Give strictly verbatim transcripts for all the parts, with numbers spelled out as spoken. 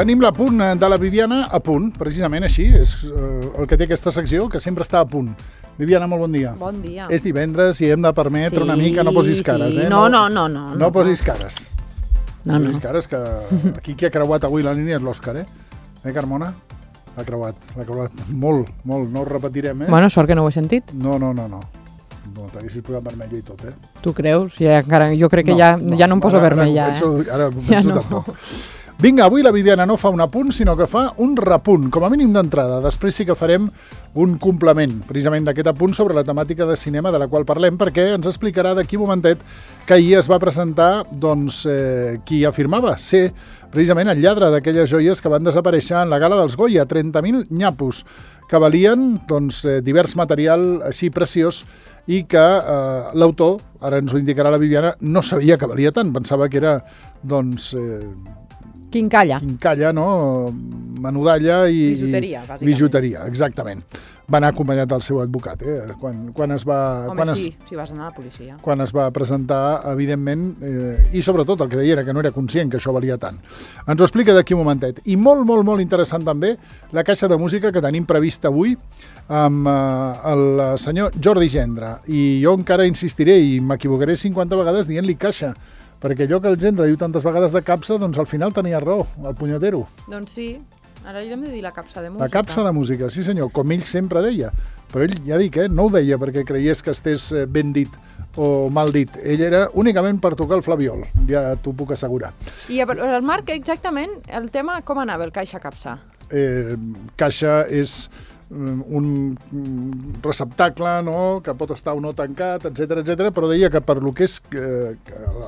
Tenim l'apunt de la Viviana a punt, precisament així, és el que té aquesta secció, que sempre està a punt. Viviana, molt bon dia. Bon dia. És divendres i hem de permetre una mica, no posis cares, eh? No, no, no. No, no posis cares. No, no. Posis cares, que aquí qui ha creuat avui la línia és l'Òscar, eh? Eh, Carmona? L'ha creuat, l'ha creuat molt, molt, no ho repetirem, eh? Bueno, sort que no ho he sentit. No, no, no, no. No, t'haguessis posat vermella i tot, eh? Tu creus? Ja, encara, jo crec que no, ja, no, ja no em poso ara, vermella, ara penso, eh? Ara penso ja no. tampoc. Vinga, avui la Viviana no fa un apunt, sinó que fa un repunt, com a mínim d'entrada. Després sí que farem un complement, precisament d'aquest apunt sobre la temàtica de cinema de la qual parlem, perquè ens explicarà d'aquí un momentet que ahir es va presentar doncs, eh, qui afirmava ser precisament el lladre d'aquelles joies que van desaparèixer en la gala dels Goya, trenta mil nyapos, que valien doncs, eh, divers material així preciós i que eh, l'autor, ara ens ho indicarà la Viviana, no sabia que valia tant, pensava que era doncs... Eh, Quincalla. Quincalla, no? Menudalla i... Bijuteria, bàsicament. Bijuteria, exactament. Va anar acompanyat del seu advocat, eh? Quan, quan es va... Home, quan sí, es, si vas anar a la policia. Quan es va presentar, evidentment, eh, i sobretot el que deia era que no era conscient que això valia tant. Ens ho explica d'aquí un momentet. I molt, molt, molt interessant també la caixa de música que tenim prevista avui amb eh, el senyor Jordi Gendra. I jo encara insistiré i m'equivocaré cinquanta vegades dient-li caixa, perquè allò que el Gendra diu tantes vegades de capsa, doncs al final tenia raó, el punyetero. Doncs sí, ara hem de dir la capsa de música. La capsa de música, sí senyor, com ell sempre deia. Però ell, ja dic, eh, no ho deia perquè creies que estés ben dit o mal dit. Ell era únicament per tocar el flabiol, ja t'ho puc assegurar. I el Marc, exactament, el tema com anava, el caixa-capsa? Eh, caixa és un receptacle, no?, que pot estar o no tancat, etcètera, etcètera, però deia que per lo que és eh,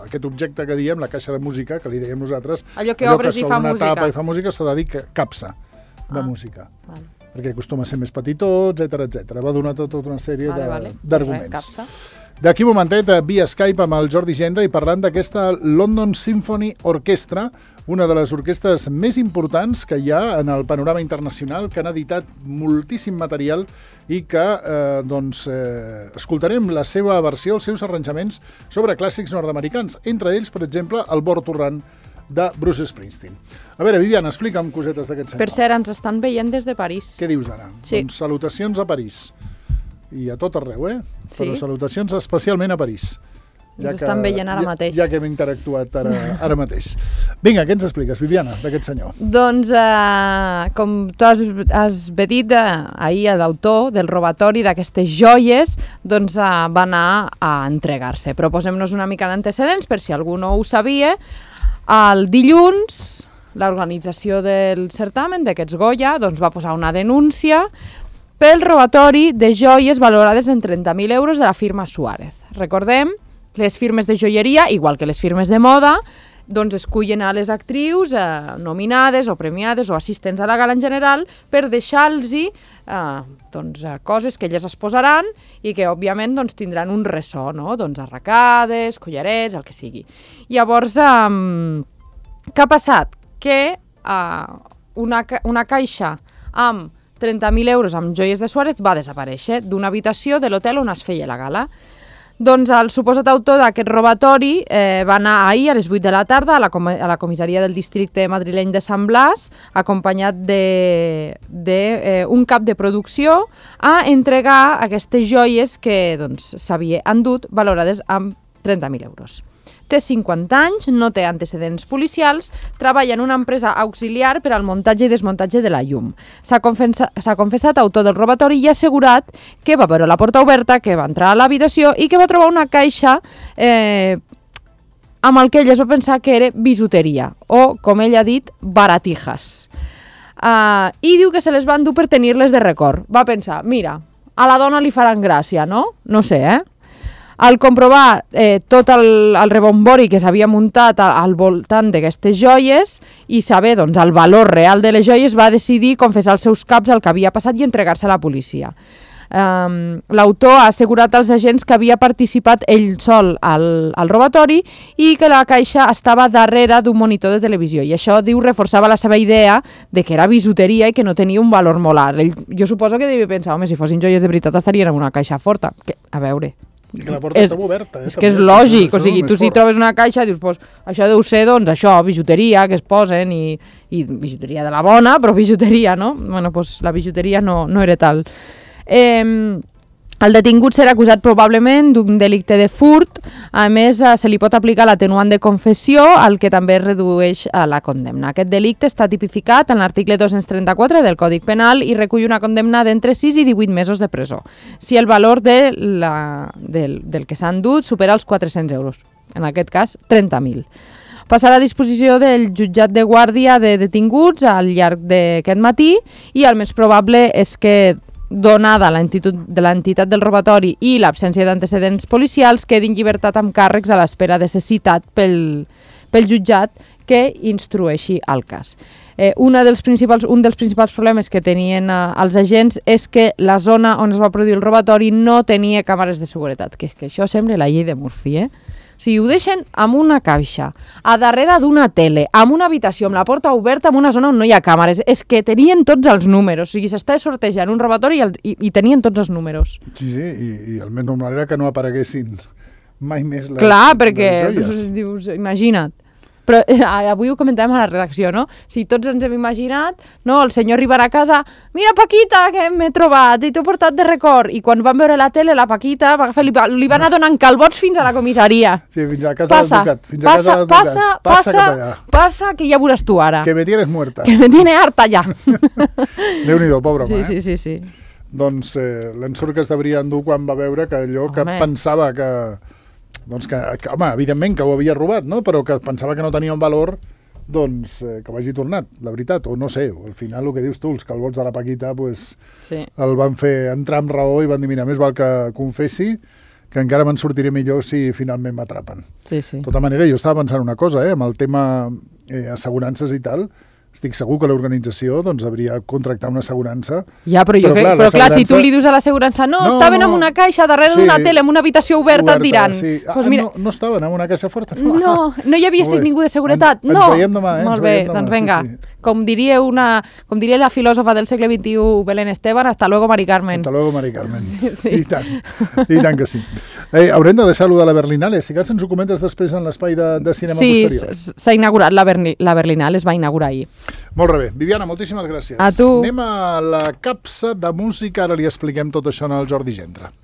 aquest objecte que diem, la caixa de música, que li dèiem nosaltres, allò que obres i fa música, una tapa i fa música, s'ha de dir que capsa de ah, música, vale. Perquè acostuma a ser més petitó, etcètera, etcètera. Va donar tota una sèrie vale, vale. d'arguments. D'aquí un momentet, via Skype amb el Jordi Gendra i parlant d'aquesta London Symphony Orchestra, una de les orquestres més importants que hi ha en el panorama internacional, que han editat moltíssim material i que eh, doncs, eh, escoltarem la seva versió, els seus arranjaments sobre clàssics nord-americans, entre ells, per exemple, el Born to Run de Bruce Springsteen. A veure, Viviana, explica'm cosetes d'aquest senyor. Per cert, ens estan veient des de París. Què dius ara? Sí. Doncs salutacions a París. I a tot arreu, eh? Sí. Però salutacions especialment a París. Ja ens estan veient ara ja, mateix. Ja que hem interactuat ara, ara mateix. Vinga, què ens expliques, Viviana, d'aquest senyor? Doncs, eh, com tu has, has bé dit eh, ahir, l'autor del robatori d'aquestes joies doncs, eh, va anar a entregar-se. Però posem-nos una mica d'antecedents, per si algú no ho sabia. El dilluns, l'organització del certamen d'aquests Goya doncs, va posar una denúncia pel robatori de joies valorades en trenta mil euros de la firma Suárez. Recordem, les firmes de joieria, igual que les firmes de moda, doncs escullen a les actrius eh, nominades o premiades o assistents a la gala en general per deixar-los eh, doncs, coses que elles es posaran i que, òbviament, doncs, tindran un ressò, no? Doncs arracades, collarets, el que sigui. Llavors, eh, què ha passat? Que eh, una, una caixa amb trenta mil euros amb joies de Suárez va desaparèixer d'una habitació de l'hotel on es feia la gala. Doncs el suposat autor d'aquest robatori eh, va anar ahir a les vuit de la tarda a la, com a la comissaria del districte madrileny de Sant Blas, acompanyat d'un de, de, eh, cap de producció, a entregar aquestes joies que s'havia doncs, endut valorades amb trenta mil euros. Té cinquanta anys, no té antecedents policials, treballa en una empresa auxiliar per al muntatge i desmuntatge de la llum. S'ha confessat, s'ha confessat autor del robatori i ha assegurat que va veure la porta oberta, que va entrar a l'habitació i que va trobar una caixa eh, amb el que ell es va pensar que era bisuteria o, com ell ha dit, baratijas. Uh, I diu que se les va endur per tenir-les de record. Va pensar, mira, a la dona li faran gràcia, no? No sé, eh? Al comprovar eh, tot el, el rebombori que s'havia muntat al, al voltant d'aquestes joies i saber doncs, el valor real de les joies, va decidir confessar als seus caps el que havia passat i entregar-se a la policia. Um, L'autor ha assegurat als agents que havia participat ell sol al, al robatori i que la caixa estava darrere d'un monitor de televisió. I això, diu, reforçava la seva idea de que era bisuteria i que no tenia un valor molt alt. Ell, jo suposo que devia pensar, home, si fossin joies de veritat estarien en una caixa forta. Que, a veure... Que la porta està oberta, eh? És que és lògic, o sigui, tu si trobes una caixa dius, pues, això deu ser, doncs, això, bijuteria que es posen i, i bijuteria de la bona, però bijuteria, no? Bueno, pues la bijuteria no, no era tal. Eh, el detingut serà acusat probablement d'un delicte de furt, a més se li pot aplicar l'atenuant de confessió, el que també redueix la condemna. Aquest delicte està tipificat en l'article dos-cents trenta-quatre del Còdic Penal i recull una condemna d'entre sis i divuit mesos de presó, si el valor de la, del, del que s'ha endut supera els quatre-cents euros, en aquest cas trenta mil. Passarà a disposició del jutjat de guàrdia de detinguts al llarg d'aquest matí i el més probable és que, donada l'entitat del robatori i l'absència d'antecedents policials, quedi en llibertat amb càrrecs a l'espera de ser citat pel, pel jutjat que instrueixi el cas. Eh, una dels principals, un dels principals problemes que tenien eh, els agents és que la zona on es va produir el robatori no tenia càmeres de seguretat, que, que això sembla la llei de Murphy, eh? O sigui, ho deixen amb una caixa, a darrere d'una tele, amb una habitació, amb la porta oberta, en una zona on no hi ha càmeres. És que tenien tots els números. O sigui, s'està sortejant un robatori i, el, i, i tenien tots els números. Sí, sí, i, i el més normal era que no apareguessin mai més les, Clar, perquè, les joies. Dius, imagina't. Però eh, avui ho comentàvem a la redacció, no? Si tots ens hem imaginat, no? El senyor arribarà a casa, mira Paquita, que m'he trobat, i t'ho he portat de record. I quan van veure la tele, la Paquita va agafar, li, va, li va anar donant calbots fins a la comissaria. Sí, fins a casa passa, de l'advocat. Fins a passa, casa de l'advocat. passa, passa, passa, passa, que ja veuràs tu ara. Que me tienes muerta. Que me tiene harta ja. Déu-n'hi-do, pobre home, sí, eh? sí, sí, sí. Doncs eh, l'ensurt que es devia endur quan va veure que allò home. que pensava que... Doncs que, que, home, evidentment que ho havia robat, no? Però que pensava que no tenia un valor, doncs eh, que ho hagi tornat, la veritat, o no sé, al final el que dius tu, els calbots de la Paquita, pues, sí. el van fer entrar amb raó i van dir, mira, més val que confessi, que encara me'n sortiré millor si finalment m'atrapen. Sí, sí. De tota manera, jo estava pensant una cosa, eh, amb el tema eh, assegurances i tal, estic segur que l'organització doncs, hauria de contractar una assegurança. Ja, però, jo però, clar, però clar, si tu li dius a l'assegurança no, no, estaven no, en una caixa darrere sí, d'una tele, en una habitació oberta, oberta et diran. Sí. Ah, pues mira, no, no estaven en una caixa forta? No, no, no hi havia ningú de seguretat. Ens, no. ens veiem demà, eh? Molt bé, demà, doncs vinga. Sí, sí. Com diria, una, com diria la filòsofa del segle vint-i-u, Belén Esteban, hasta luego, Mari Carmen. Hasta luego, Mari Carmen. Sí. I tant, i tant que sí. Eh, haurem de deixar-lo de la Berlinale, si cas ens ho comentes després en l'espai de, de cinema sí, posterior. Sí, s'ha inaugurat, la, Berni, la Berlinale es va inaugurar ahir. Molt bé. Viviana, moltíssimes gràcies. A tu. Anem a la capsa de música, ara li expliquem tot això al Jordi Gendre.